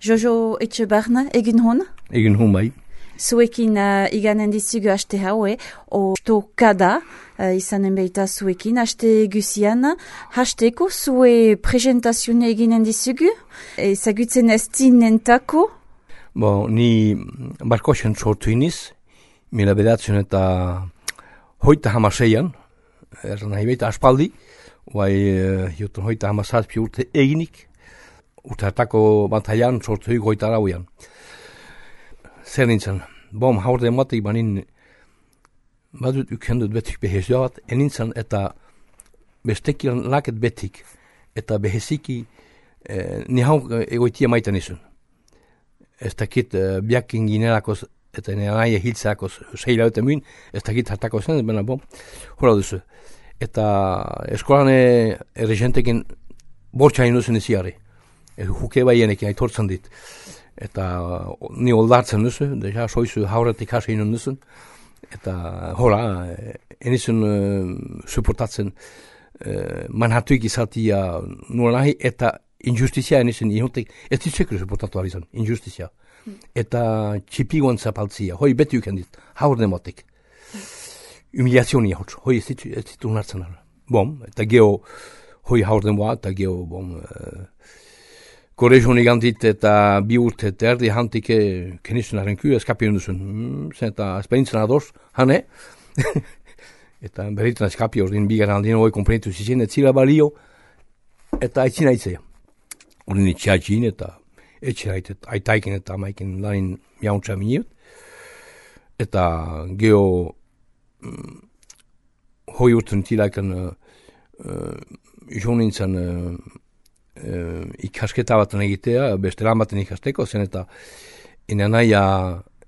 Jojo Etxebarna, egin hon? Egin hon bai. Zuekin iganen dizugu haste haue, ostokada izanen behita zuekin, haste guzian, hasteko zue presentazione eginen dizugu, ezagutzen ez zinentako? Ni barkosen sortu iniz, mila bedatzen eta hoita hamaseian, nahi behita aspaldi, joten hoita hamasazpi urte eginik, urte hartako bantailan sortu hik hoita arauian. Zer nintzen, haurde ematik banin, badut ukendut betik behezioa bat, enintzen eta bestekilan laket betik, eta beheziki ni hau egoitia maiten izun. Ez dakit biakin ginerakoz, eta nire nahi hiltzeakoz seila dute mün, ez dakit hartako zen, baina hola duzu. Eta eskolan erregentekin bortxain duzen iziari, huke baienekin aitortzen dit. Eta ni oldartzen duzu, deja soizu hauretik hasi inen duzun, eta hola, enizun suportatzen manhatuik izatia nuen nahi, eta injustizia enizun ihontek, ez ditzekru suportatu arizan, injustizia. Eta txipiguan zapaltzia, hoi beti ukendit, haurde motik. Humiliazionia hotz, hoi ez ditu nartzen ara. Eta geho, hoi haurde moa, eta geho, Korezio nigantit eta bi urte eta erdi hantike kenizun arrenku, eskapien duzun. Eta esperintzen ados, hane. Eta berritan eskapi ordin bigaran aldien hoi komprenitu zizien, et zila balio, eta aitzina aitzea. Ordin itxiatxin eta etxeraitet, aitaikin eta amaikin lanin miauntza miniut. Eta geho hoi urten tilaikan jonintzen ikasketa baten egitea, beste lan baten ikasteko zen eta ina naia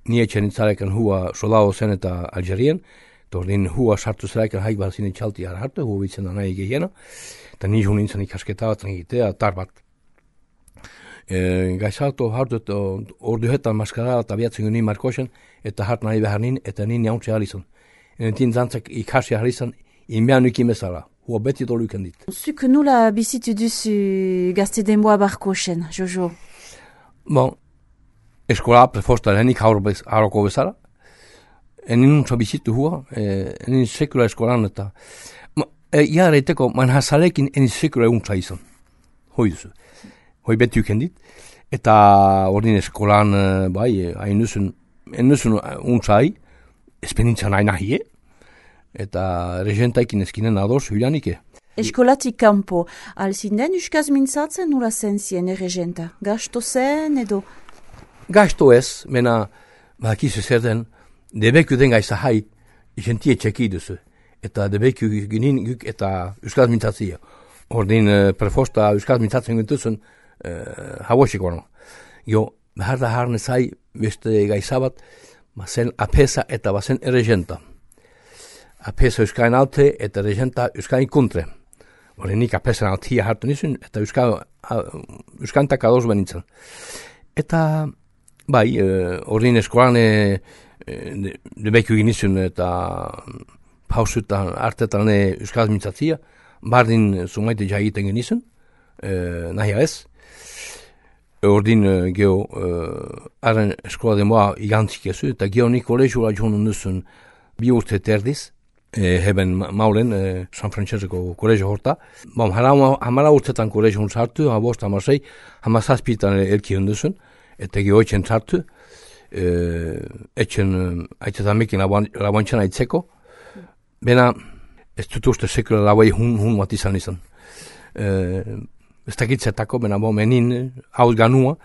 nietxen itzarekan hua soldado zen eta Algerien, eta ordin hua sartu zerakan haik bat zinen txalti hartu, hua bitzen da nahi gehiena, eta ni jo nintzen ikasketa baten egitea, tar bat. Gaizalto hartut orduhetan maskara eta biatzen guni markosen, eta hart nahi behar nin, eta nin jauntze alizan. Entin zantzak ikasi alizan, inbean nukin bezala. Hua beti doluken dit. Zuk nula bizitu duzu gazte denboa barkosen, Jojo? Eskola prefosta lehenik haroko bezala. Enin nuntza bizitu hua, enin sekula eskolan eta... Iara eiteko, man hasalekin enin sekula eguntza izan. Hoi duzu. Hoi beti uken dit. Eta ordin eskolan, hain nuzun untzai, espenintzan hain ahie. Eta regentaikin eskinen ados huilanike. Eskolatik kanpo, alzinden uskaz mintzatzen nula zen zien regenta? Gasto zen edo? Gasto ez, mena bakizu zer den, debeku den gaisa hai, gentie txeki duzu. Eta debeku ginen guk eta uskaz mintzatzia. Ordin prefosta uskaz mintzatzen gintuzun hauosik ono. Jo, behar da harne zai, beste gaisa bat, bazen apesa eta bazen regenta. Apesa euskain alte eta regenta euskain kontre. Nik apesa altia hartu nizun eta euskantak ados benintzen. Eta ordin eskolan debeku ginizun eta pausutan artetan euskaz mintzatzia, bardin sumaite jagiten ginizun, nahi ez. Ordin geho arren eskola demoa igantzik ezu eta geho nik kolegioa joan nuzun bi urte terdiz, heben maulen, San Francesco kolegio horta. Hamala urtetan kolegio hon sartu, habost, hamasei, hamazazpitan elki hunduzun, eta geho etxen sartu, etxen aitetan mekin laboantxan aitzeko. Bena, ez dut uste sekula laboi hun bat izan. Ez dakitzetako, bena menin hauz ganua,